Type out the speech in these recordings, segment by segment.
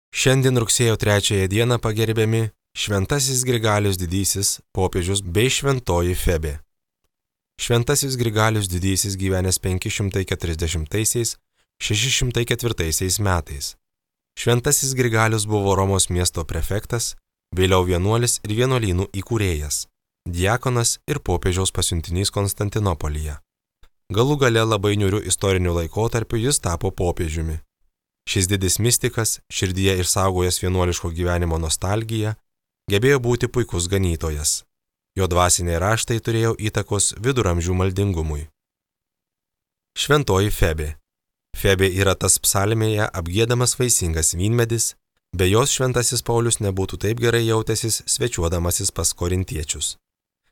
Šiandien rugsėjo 3 dieną pagerbiami Šventasis Grigalius Didysis popiežius bei Šventoji Febė. Šventasis Grigalius Didysis gyvenęs 540–604 metais. Šventasis Grigalius buvo Romos miesto prefektas, vėliau vienuolis ir vienuolynų įkūrėjas, diakonas ir popiežiaus pasiuntinys Konstantinopolyje. Galų gale labai niūriu istoriniu laikotarpiu jis tapo popiežiumi. Šis didis mistikas, širdyje išsaugojęs vienuoliško gyvenimo nostalgiją, gebėjo būti puikus ganytojas. Jo dvasiniai raštai turėjo įtakos viduramžių maldingumui. Šventoji Febė. Febė yra tas psalmėje apgiedamas vaisingas vynmedis, be jos šventasis Paulius nebūtų taip gerai jautęsis svečiuodamasis pas korintiečius.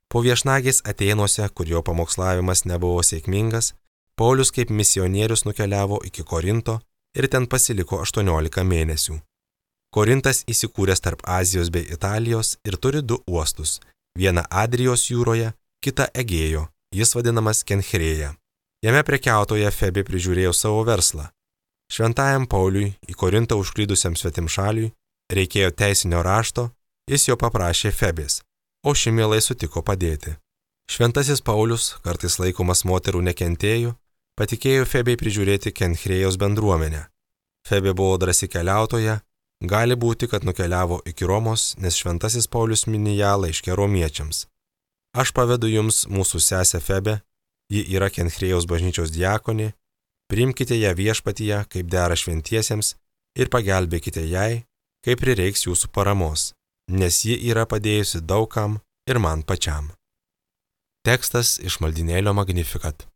Po viešnagės Atėnuose, kur jo pamokslavimas nebuvo sėkmingas, Paulius kaip misionierius nukeliavo iki Korinto ir ten pasiliko 18 mėnesių. Korintas įsikūręs tarp Azijos bei Italijos ir turi 2 uostus, vieną Adrijos jūroje, kitą Egėjo, jis vadinamas Kenchreja. Jame prekiautoja Febė prižiūrėjo savo verslą. Šventajam Pauliui, į Korintą užklydusiam svetimšaliui, reikėjo teisinio rašto, jis jo paprašė Febės, o ši mielai sutiko padėti. Šventasis Paulius, kartais laikomas moterų nekentėju, patikėjo Febei prižiūrėti Kenchrėjos bendruomenę. Febė buvo drąsi keliautoja, gali būti, kad nukeliavo iki Romos, nes šventasis Paulius mini ją laiške romiečiams. Aš pavedu jums mūsų sesę Febę, ji yra Kenchrėjos bažnyčios diakonė, priimkite ją viešpatyje, kaip dera šventiesiems, ir pagelbėkite jai, kai prireiks jūsų paramos, nes ji yra padėjusi daugam ir man pačiam. Tekstas iš maldynėlio Magnificat.